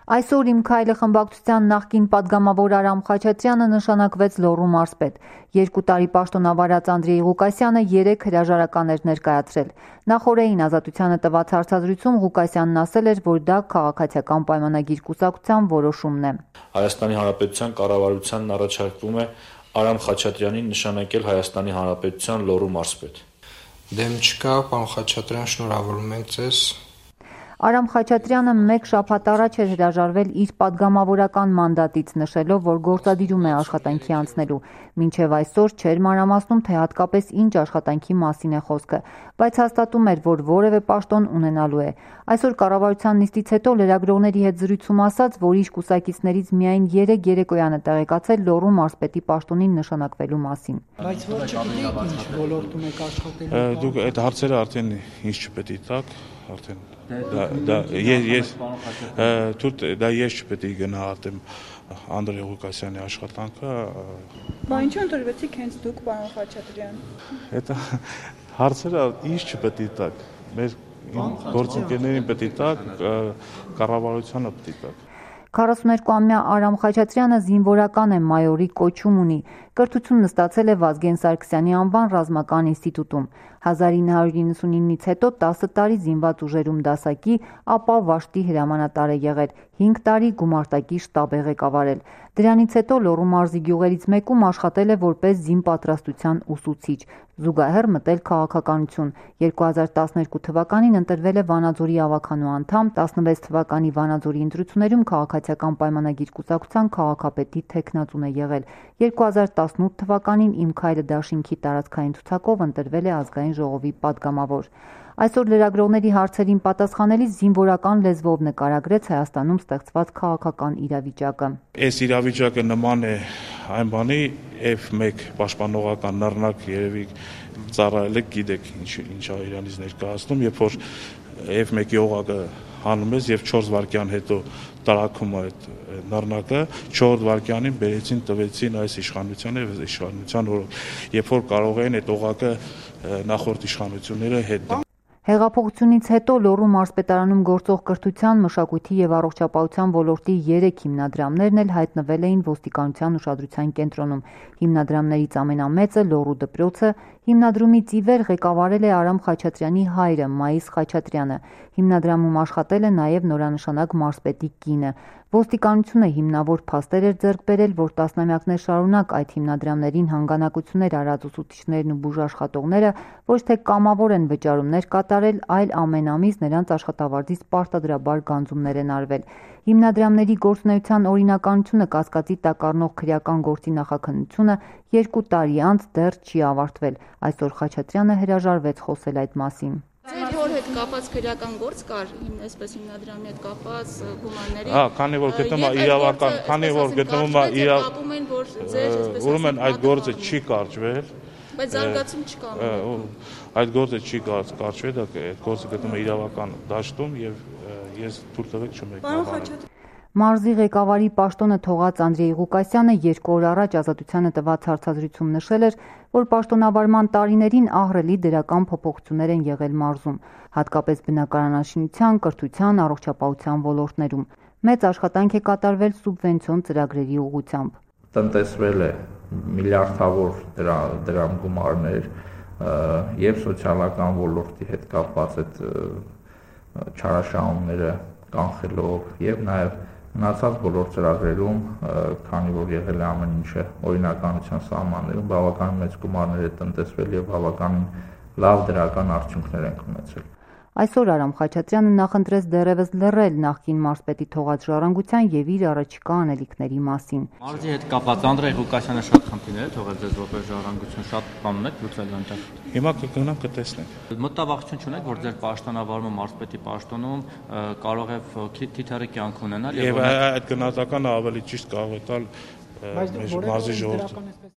Այսօր «Իմ քայլը» խմբակցության նախկին պատգամավոր Արամ Խաչատրյանը նշանակվեց Լոռու մարզպետ։ 2 տարի պաշտոնավարած Անդրեյ Ղուկասյանը 3 հրաժարական էր ներկայացրել։ Նախօրեին Ազատությանը տված հարցազրույցում Ղուկասյանն ասել էր, որ դա քաղաքացիական պայմանագիր կուսակցության որոշումն է։ Հայաստանի Հանրապետության կառավարությանն առաջարկվում է Արամ Խաչատրյանին նշանակել Հայաստանի Հանրապետության Լոռու մարզպետ։ Դեմ չկա, պարոն Խաչատրյան, շնորհավորում ենք ձեզ։ Արամ Խաչատրյանը 1 շաբաթ առաջ էր հրաժարվել իր պատգամավորական մանդատից, նշելով, որ գործադիրում է աշխատանքի անցնելու։ Մինչև այսօր չէր մանրամասնում, թե հատկապես ինչ աշխատանքի մասին է խոսքը, բայց հաստատում էր, որ որևէ պաշտոն ունենալու է։ Այսօր կառավարության նիստից հետո լրագրողների հետ զրույցում ասաց, որ իր կուսակիցներից միայն 3 երեկոյան է տեղեկացել Լոռու մարզպետի պաշտոնին նշանակվելու մասին։ Բայց որ չգիտեք ինչ ոլորտում եք աշխատելու։ Դուք այդ հարցերը արդեն ինչ չպետք է տաք, արդեն ես չպետք է գնահատեմ Անդրեյ Ղուկասյանի աշխատանքը։ Բա ինչու ընտրվեցիք հենց դուք, պարոն Խաչատրյան։ Այդ հարցերը ինչ չպետք է տաք, մեր գործընկերներին պետք է տաք, կառավարությանը պետք է տաք։ 42-ամյա Արամ Խաչատրյանը զինվորական է, մայորի կոչում ունի։ Կրթությունն ստացել է Վազգեն Սարգսյանի անվան ռազմական ինստիտուտում։ 1999-ից հետո 10 տարի զինված ուժերում դասակի, ապա վաշտի հրամանատար է եղել, 5 տարի գումարտակի շտաբ է ղեկավարել։ Դրանից հետո Լոռու մարզի գյուղերից մեկում աշխատել է որպես զինպատրաստության ուսուցիչ, զուգահեռ մտել քաղաքականություն։ 2012 թվականին ընտրվել է Վանաձորի ավագանու անդամ, 16 թվականի Վանաձորի ընտրություններում քաղաքացիական պայմանագիր կուսակցության քաղաքապետի թեկնածուն է եղել։ 2018 թվականին «Իմ քայլը» դաշինքի տարածքային ցուցակով ընտրվել է ազգային ժողովի պատգամավոր։ Այսօր լրագրողների հարցերին պատասխանելիս զինվորական լեզվով նկարագրեց Հայաստանում ստեղծված քաղաքական իրավիճակը։ Այս իրավիճակը նման է այն բանի, F1 պաշտպանողական նռնակ երևի ծառայել եք, գիտեք ինչ է իրանից ներկայացնում, երբ որ F1-ի օղակը հանում ես եւ 4 վայրկյան հետո տարակում այդ նռնակը, 4 վայրկյանին բերեցին, տվեցին այս իշխանությանը եւ իշխանության օրոք, երբ որ կարող էին այդ օղակը նախորդ իշխանությունները հետ դնել։ Հեղափոխությունից հետո Լոռու մարզպետարանում գործող կրթության, մշակույթի եւ առողջապահության ոլորտի 3 հիմնադրամներն էլ հայտնվել էին ոստիկանության ուշադրության կենտրոնում։ Հիմնադրամներից ամենամեծը Լոռու դպրոցը, հիմնադրումից ի վեր ղեկավարել է Արամ Խաչատրյանի հայրը Մայիս Խաչատրյանը։ Հիմնադրամում աշխատել է նաեւ նորանշանակ մարզպետի կինը։ Ոստիկանությունը հիմնավոր փաստեր էր ձեռք բերել, որ տասնամյակներ շարունակ այդ հիմնադրամներին հանգանակություններ արած ուսուցիչներն ու բուժաշխատողները ոչ թե կամավոր են վճարումներ կատարել, այլ ամեն ամիս նրանց աշխատավարձից պարտադրաբար գանձումներ են արվել։ Հիմնադրամների գործունեության օրինականությունը կասկածի տակ առնող քրեական գործի նախաքննությունը 2 տարի անց դեռ չի ավարտվել։ Այսօր Խաչատրյանը հրաժարվեց խոսել այդ մասին։ Ձեր հոր հետ կապած քրեական գործ կար, այսպես հիմնադրամի հետ կապած գումարների։ Քանի որ գտնվում է իրավական, քանի որ գտնվում է ուրեմն այդ գործը չի կարճվել։ Բայց զարգացում չկա։ Այդ գործը չի կարճվել, այդ գործը գտնվում է իրավական դաշտում եւ ես թույլ տվեք չմեկնաբանեմ։ Մարզի ղեկավարի պաշտոնը թողած Անդրեյ Ղուկասյանը 2 օր առաջ Ազատությանը տված հարցազրույցում նշել էր, որ պաշտոնավարման տարիներին ահռելի դրական փոփոխություններ են եղել մարզում, հատկապես բնակարանաշինության, կրթության, առողջապահության ոլորտներում։ Մեծ աշխատանք է կատարվել սուբվենցիոն ծրագրերի ուղղությամբ։ Տնտեսվել է միլիարդավոր դրամ գումարներ եւ սոցիալական ոլորտի հետ կապված այդ չարաշահումները կանխելով եւ նաեւ մնացած բոլոր ծրագրերում, քանի որ եղել է ամեն ինչը օրինականության սահմաններում, բավականին մեծ գումարներ է տնտեսվել եւ բավականին լավ դրական արդյունքներ ենք ունեցել։ Այսօր Արամ Խաչատրյանը նախընտրեց դեռևս լռել նախկին մարզպետի թողած ժառանգության եւ իր առաջիկա անելիքների մասին։ Մարզի հետ կապված Անդրեյ Ղուկասյանը շատ խնդիրներ է թողել ձեզ որպես ժառանգություն, շատ բան ունեք լուծել այնտեղ։ Հիմա կգնանք կտեսնենք։ Մտավախություն չունեք, որ ձեր պաշտոնավարումը մարզպետի պաշտոնում կարող է թիթեռի կյանք ունենալ եւ այդ գնահատականը ավելի ճիշտ կարող է տալ մեր մարզի ժողովուրդը։